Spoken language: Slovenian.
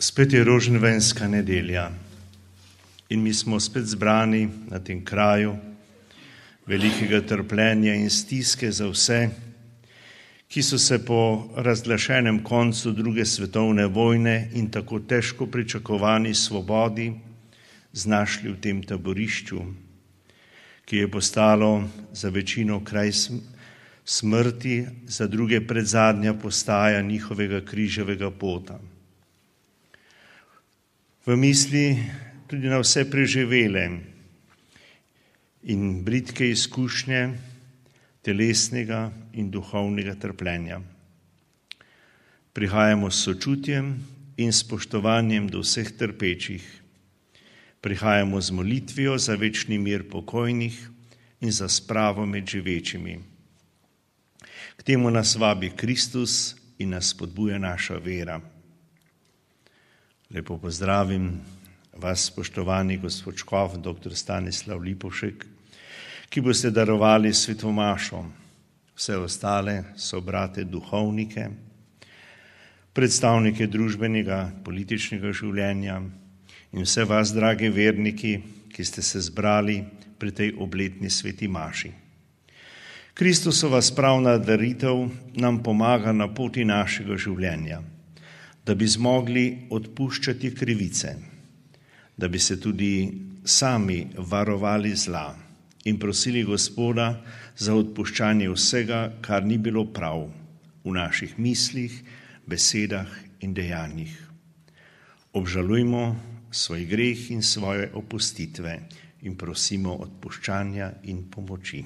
Spet je roženvenska nedelja in mi smo spet zbrani na tem kraju velikega trpljenja in stiske za vse, ki so se po razglašenem koncu druge svetovne vojne in tako težko pričakovani svobodi znašli v tem taborišču, ki je postalo za večino kraj smrti, za druge predzadnja postaja njihovega križevega pota. V misli tudi na vse preživele in bridke izkušnje telesnega in duhovnega trpljenja. Prihajamo s sočutjem in spoštovanjem do vseh trpečih. Prihajamo z molitvijo za večni mir pokojnih in za spravo med živečimi. K temu nas vabi Kristus in nas spodbuja naša vera. Lepo pozdravim vas, spoštovani gospod škof, dr. Stanislav Lipovšek, ki boste darovali sveto mašo. Vse ostale so brate duhovnike, predstavnike družbenega, političnega življenja in vse vas, dragi verniki, ki ste se zbrali pri tej obletni sveti maši. Kristusova spravna daritev nam pomaga na poti našega življenja, da bi zmogli odpuščati krivice, da bi se tudi sami varovali zla in prosili Gospoda za odpuščanje vsega, kar ni bilo prav v naših mislih, besedah in dejanjih. Obžalujmo svoj greh in svoje opustitve in prosimo odpuščanja in pomoči.